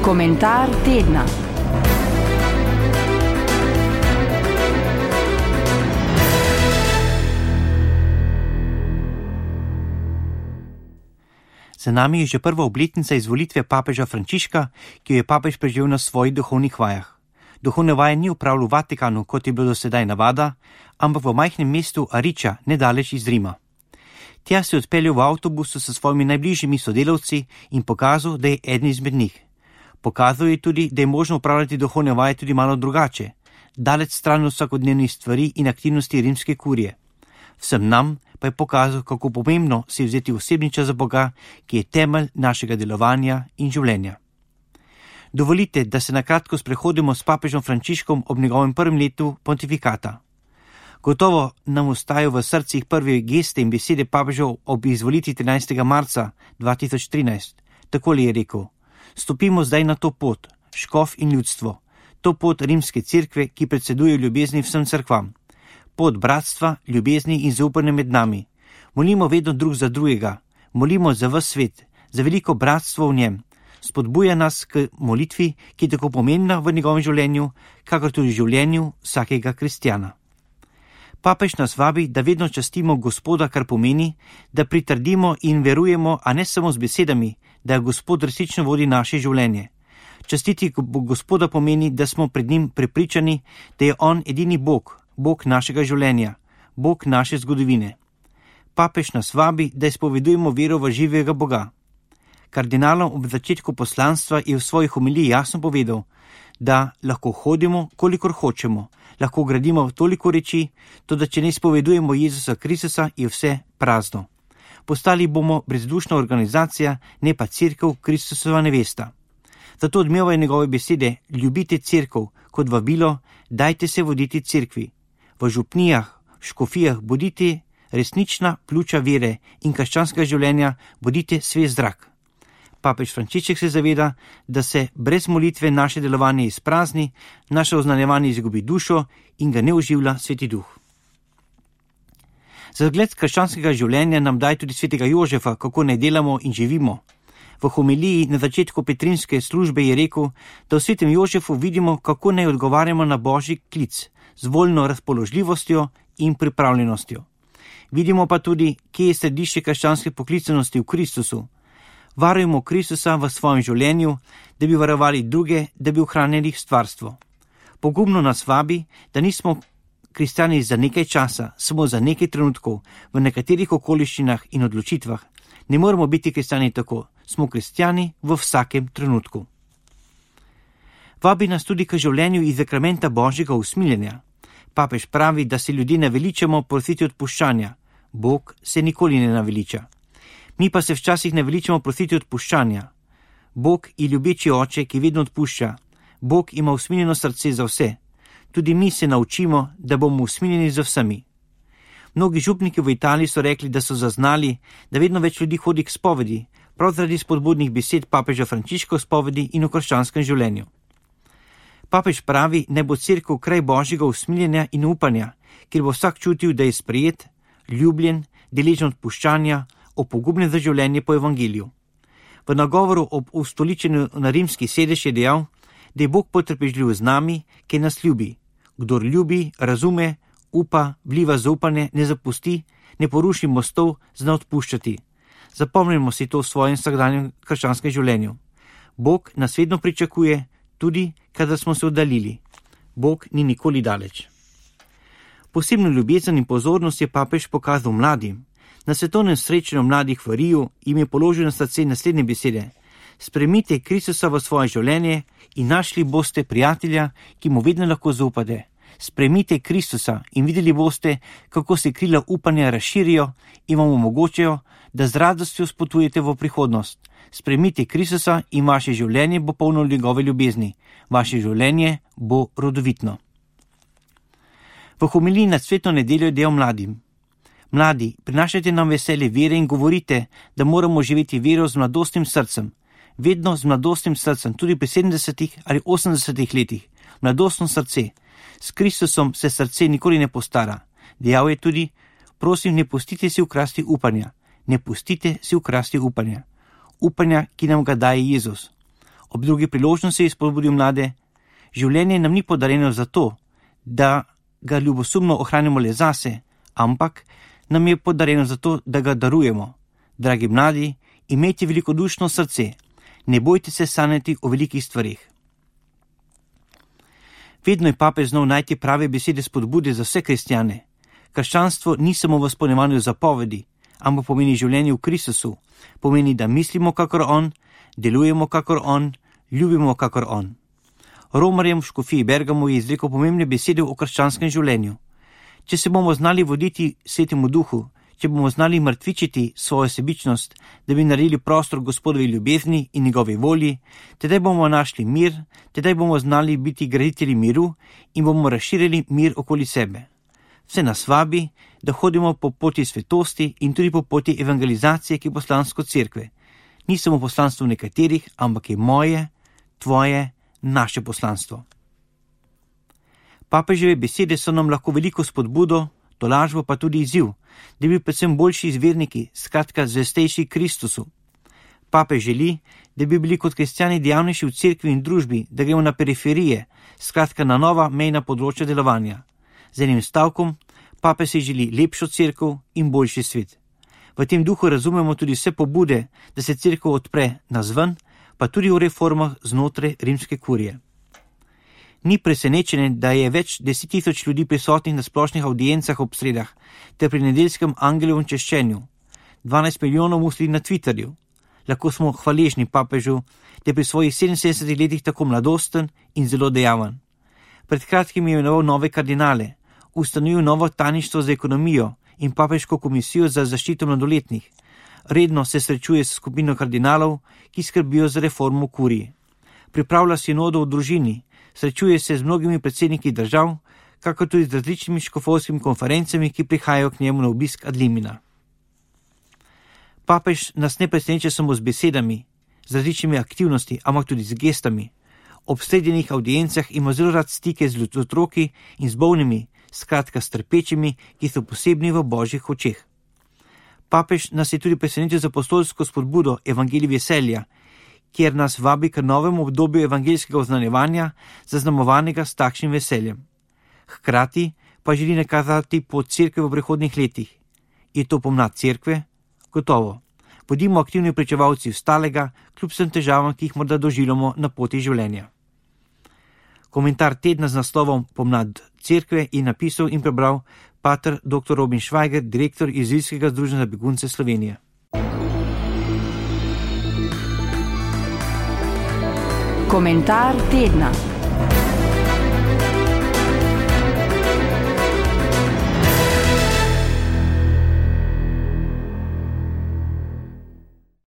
Komentar tedna. Za nami je že prva obletnica izvolitve papeža Frančiška, ki jo je papež preživel na svojih duhovnih vajah. Duhovne vaje ni opravljal v Vatikanu, kot je bilo do sedaj navada, ampak v majhnem mestu Ariča, nedaleč iz Rima. Tja se je odpeljal v avtobusu s svojimi najbližjimi sodelavci in pokazal, da je eden izmed njih. Pokazal je tudi, da je možno upravljati duhovne vaje tudi malo drugače, daleč stran od vsakodnevnih stvari in aktivnosti rimske kurije. Vsem nam pa je pokazal, kako pomembno se je vzeti osebni čas za Boga, ki je temelj našega delovanja in življenja. Dovolite, da se na kratko sprehodimo s papežom Frančiškom ob njegovem prvem letu pontifikata. Gotovo nam ostajajo v srcih prve geste in besede papežev ob izvolitvi 13. marca 2013. Takole je rekel: stopimo zdaj na to pot, škof in ljudstvo, to pot rimske cerkve, ki predseduje ljubezni vsem cerkvam, pot bratstva, ljubezni in zaupanja med nami. Molimo vedno drug za drugega, molimo za ves svet, za veliko bratstvo v njem. Spodbuja nas k molitvi, ki je tako pomembna v njegovem življenju, kakor tudi v življenju vsakega kristjana. Papež nas vabi, da vedno častimo Gospoda, kar pomeni, da pritrdimo in verujemo, a ne samo z besedami, da Gospod resnično vodi naše življenje. Častiti Gospoda pomeni, da smo pred njim prepričani, da je on edini Bog, Bog našega življenja, Bog naše zgodovine. Papež nas vabi, da izpovedujemo vero v živega Boga. Kardinalom ob začetku poslanstva je v svoji homiliji jasno povedal, da lahko hodimo, kolikor hočemo, lahko gradimo toliko reči, toda če ne izpovedujemo Jezusa Kristusa, je vse prazno. Postali bomo brezdušna organizacija, ne pa cerkev Kristusova nevesta. Zato odmevajo njegove besede: ljubite cerkev kot vabilo, dajte se voditi cerkvi. V župnijah, škofijah bodite resnična pljuča vere in krščanskega življenja, bodite svež zrak. Papež Frančišek se zaveda, da se brez molitve naše delovanje izprazni, naše oznanjevanje izgubi dušo in ga ne oživlja Sveti Duh. Za zgled krščanskega življenja nam daje tudi svetega Jožefa, kako naj delamo in živimo. V homiliji na začetku petrinske službe je rekel, da v svetem Jožefu vidimo, kako naj odgovarjamo na božji klic z voljno razpoložljivostjo in pripravljenostjo. Vidimo pa tudi, kje je središče krščanske poklicanosti v Kristusu. Varujemo Kristusa v svojem življenju, da bi varovali druge, da bi ohranjali stvarstvo. Pogumno nas vabi, da nismo kristjani za nekaj časa, samo za nekaj trenutkov, v nekaterih okoliščinah in odločitvah. Ne moramo biti kristjani tako, smo kristjani v vsakem trenutku. Vabi nas tudi k življenju iz sakramenta Božjega usmiljenja. Papež pravi, da se ljudje naveličamo prositi odpuščanja. Bog se nikoli ne naveliča. Mi pa se včasih naveličamo prositi odpuščanja. Bog je ljubeči oče, ki vedno odpušča. Bog ima usmiljeno srce za vse. Tudi mi se naučimo, da bomo usmiljeni za vsemi. Mnogi župniki v Italiji so rekli, da so zaznali, da vedno več ljudi hodi k spovedi, prav zaradi spodbudnih besed papeža Frančiška o spovedi in o krščanskem življenju. Papež pravi, naj bo cerkev kraj božjega usmiljenja in upanja, kjer bo vsak čutil, da je sprejet, ljubljen, deležen odpuščanja, opogumljen za življenje po evangeliju. V nagovoru ob ustoličenju na rimski sedež je dejal, da je Bog potrpežljiv z nami, ki nas ljubi. Kdor ljubi, razume, upa, vliva zaupanje, ne zapusti, ne poruši mostov, zna odpuščati. Zapomnimo si to v svojem vsakdanjem krščanskem življenju. Bog nas vedno pričakuje, tudi kadar smo se oddaljili. Bog ni nikoli daleč. Posebno ljubezen in pozornost je papež pokazal mladim. Na svetovnem srečanju mladih v Riju jim je položil na srce naslednje besede: sprejmite Kristusa v svoje življenje in našli boste prijatelja, ki mu vedno lahko zaupate. Sprejmite Kristusa in videli boste, kako se krila upanja razširijo in vam omogočajo, da z radostjo spotujete v prihodnost. Sprejmite Kristusa in vaše življenje bo polno njegove ljubezni. Vaše življenje bo rodovitno. V homiliji nad svetno nedeljo je dejal mladim: mladi, prinašajte nam veselje vere in govorite, da moramo živeti vero z mladostnim srcem. Vedno z mladostnim srcem, tudi pri 70 ali 80 letih. Mladostno srce. S Kristusom se srce nikoli ne postara. Dejal je tudi: prosim, ne pustite si ukrasti upanja. Ne pustite si ukrasti upanja. Upanja, ki nam ga daje Jezus. Ob drugi priložnosti spodbudil mlade: življenje nam ni podarjeno zato, da ga ljubosumno ohranimo le zase, ampak nam je podarjeno zato, da ga darujemo. Dragi mladi, imejte velikodušno srce, ne bojte se sanjati o velikih stvarih. Vedno je papež znal najti prave besede spodbude za vse kristjane. Krščanstvo ni samo v izpolnjevanju zapovedi, ampak pomeni življenje v Kristusu, pomeni, da mislimo kakor on, delujemo kakor on, ljubimo kakor on. Romarjem v škofiji Bergamo je izrekel pomembne besede o krščanskem življenju. Če se bomo znali voditi Svetemu Duhu, če bomo znali mrtvičiti svojo sebičnost, da bi naredili prostor Gospodovi ljubezni in njegovi volji, tedaj bomo našli mir, tedaj bomo znali biti graditelji miru in bomo razširili mir okoli sebe. Vse nas vabi, da hodimo po poti svetosti in tudi po poti evangelizacije, ki je poslanstvo cerkve. Ni samo poslanstvo nekaterih, ampak je moje, tvoje, naše poslanstvo. Papeževe besede so nam lahko veliko spodbudo, tolažbo pa tudi izziv, da bi predvsem boljši izverniki, skratka zvestejši Kristusu. Papež želi, da bi bili kot kristjani dejavnejši v cerkvi in družbi, da gremo na periferije, skratka na nova mejna področja delovanja. Z enim stavkom, papež si želi lepšo cerkev in boljši svet. V tem duhu razumemo tudi vse pobude, da se cerkev odpre nazven, pa tudi v reformah znotraj rimske kurije. Ni presenečenje, da je več 10.000 ljudi prisotnih na splošnih audiencah ob sredah ter pri nedeljskem angelovem češčenju. 12 milijonov mu sledi na Twitterju. Lahko smo hvaležni papežu, da je pri svojih 77 letih tako mladosten in zelo dejaven. Pred kratkim je imenoval nove kardinale, ustanovil novo tajništvo za ekonomijo in papežko komisijo za zaščito mladoletnih. Redno se srečuje s skupino kardinalov, ki skrbijo za reformo kurije. Pripravlja sinodo v družini, srečuje se z mnogimi predsedniki držav, kakor tudi z različnimi škofovskimi konferencami, ki prihajajo k njemu na obisk ad limina. Papež nas ne preseneča samo z besedami, z različnimi aktivnosti, ampak tudi z gestami. Ob srednjih audiencah ima zelo rad stike z otroki in z bolnimi, skratka s trpečimi, ki so posebni v božjih očeh. Papež nas je tudi presenetil z apostolsko spodbudo Evangelij veselja, kjer nas vabi k novemu obdobju evangeljskega oznanjevanja, zaznamovanega s takšnim veseljem. Hkrati pa želi nakazati pot cerkve v prihodnjih letih. Je to pomlad cerkve? Gotovo. Bodimo aktivni pričevalci ostalega, kljub vsem težavam, ki jih morda doživljamo na poti življenja. Komentar tedna z naslovom Pomlad cerkve je napisal in prebral pater dr. Robin Švajger, direktor Izraelskega združenja za begunce Slovenije. Komentar tedna.